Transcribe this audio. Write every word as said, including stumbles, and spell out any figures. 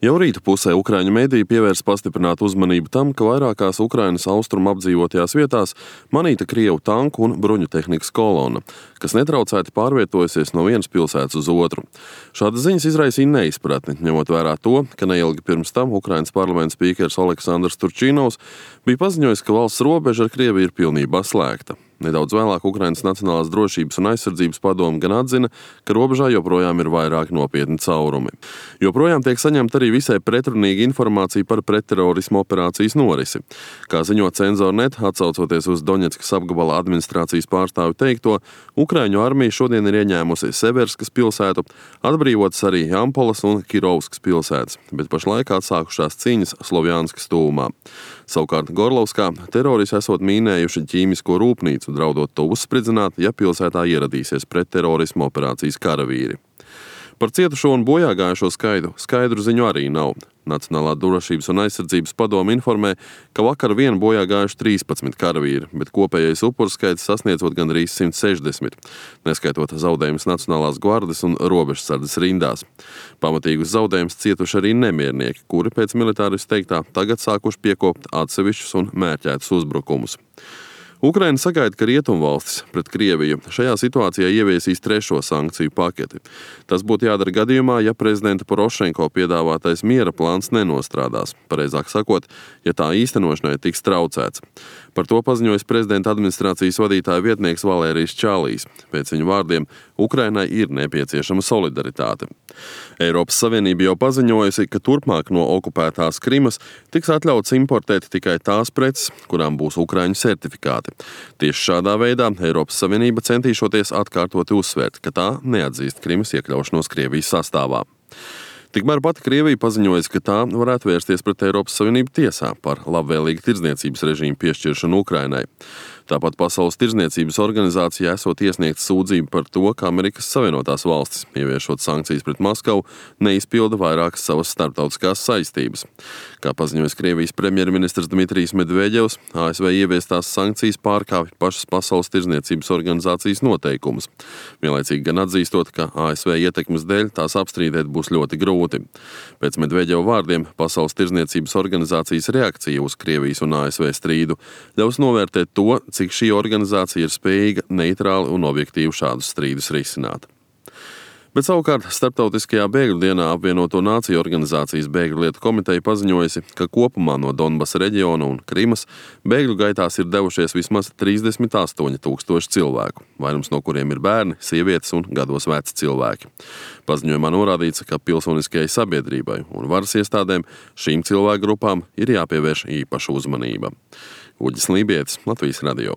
Jau rīta pusē Ukraiņu mediji pievērs pastiprinātu uzmanību tam, ka vairākās Ukrainas austrumu apdzīvotajās vietās manīta Krievu tanku un bruņu tehnikas kolona, kas netraucēti pārvietojusies no vienas pilsētas uz otru. Šādas ziņas izraisīja neizpratni, ņemot vērā to, ka neilgi pirms tam Ukrainas parlamenta spīkers Aleksandrs Turčinovs bija paziņojis, ka valsts robeža ar Krieviju ir pilnībā slēgta. Nedaudz vēlāk Ukrainas Nacionālās drošības un aizsardzības padome gan atzina, ka robežā joprojām ir vairāk nopietni caurumi. Joprojām tiek saņemta arī visai pretrunīga informācija par pretterorismu operācijas norisi. Kā ziņo Cenzor.net, atsaucoties uz Doņetskas apgabala administrācijas pārstāvju teikto, Ukraiņu armija šodien ir ieņēmusi Severskas pilsētu, atbrīvotas arī Jampolas un Kirovskas pilsētas, bet pašlaik atsākušās cīņas Slovjanskas tuvumā. Savukārt Gorlovskā teroristi esot mīnējuši ķīmisko rūpnīcu, draudot to uzspridzināt, ja pilsētā ieradīsies pretterorismu operācijas karavīri. Par cietušo un bojāgājušo skaitu skaidru ziņu arī nav. Nacionālā drošības un aizsardzības padome informē, ka vakar vien bojāgājuši trīspadsmit karavīri, bet kopējais upuru skaits sasniedzot gandrīz simt sešdesmit, neskaitot zaudējumus Nacionālās gvardes un robežsardzes rindās. Pamatīgus zaudējumus cietuši arī nemiernieki, kuri pēc militāristu teiktā tagad sākuši piekopt atsevišķus un mērķētus uzbrukumus. Ukraina sagaida, ka rietumvalstis pret Krieviju šajā situācijā ieviesīs trešo sankciju paketi. Tas būtu jādara gadījumā, ja prezidenta Porošenko piedāvātais miera plāns nenostrādās, pareizāk sakot, ja tā īstenošanai tiks traucēts. Par to paziņojas prezidenta administrācijas vadītāja vietnieks Valērijs Čālijs. Pēc viņa vārdiem Ukrainai ir nepieciešama solidaritāte. Eiropas Savienība jau paziņojusi, ka turpmāk no okupētās Krimas tiks atļauts importēt tikai tās preces, kurām būs ukraiņu certifikāti. Tieši šādā veidā Eiropas Savienība centīšoties atkārtoti uzsvērt, ka tā neatzīst Krimas iekļaušanos Krievijas sastāvā. Tikmēr pati Krievija paziņojas, ka tā varētu vērsties pret Eiropas Savienību tiesā par labvēlīgu tirdzniecības režīmu piešķiršanu Ukrainai. Tāpat Pasaules tirdzniecības organizācijā esot iesniegta sūdzība par to, ka Amerikas Savienotās valstis, ieviešot sankcijas pret Maskavu, neizpilda vairākas savas starptautiskās saistības. Kā paziņojas Krievijas premjerministrs Dmitrijs Medveģevs, A S V ieviestās sankcijas pārkāpj pašas Pasaules tirdzniecības organizācijas noteikumus. Vienlaicīgi gan atzīstot, ka A S V ietekmes dēļ tās apstrīdēt būs ļoti grūti. Pēc Medveģeva vārdiem Pasaules tirdzniecības organizācijas reakcija uz Krievijas un A S V strīdu ļaus novērtēt to, cik šī organizācija ir spējīga neitrāli un objektīvi šādus strīdus risināt. Bet savukārt Starptautiskajā bēgļu dienā apvienoto nāciju organizācijas bēgļu lietu komiteja paziņojusi, ka kopumā no Donbasa reģiona un Krimas bēgļu gaitās ir devušies vismaz trīsdesmit astoņi tūkstoši cilvēku, vairums no kuriem ir bērni, sievietes un gados veci cilvēki. Paziņojumā norādīts, ka pilsoniskajai sabiedrībai un varas iestādēm šīm cilvēku grupām ir jāpievērš īpaša uzmanība. Uģis Lībietis, Latvijas radio.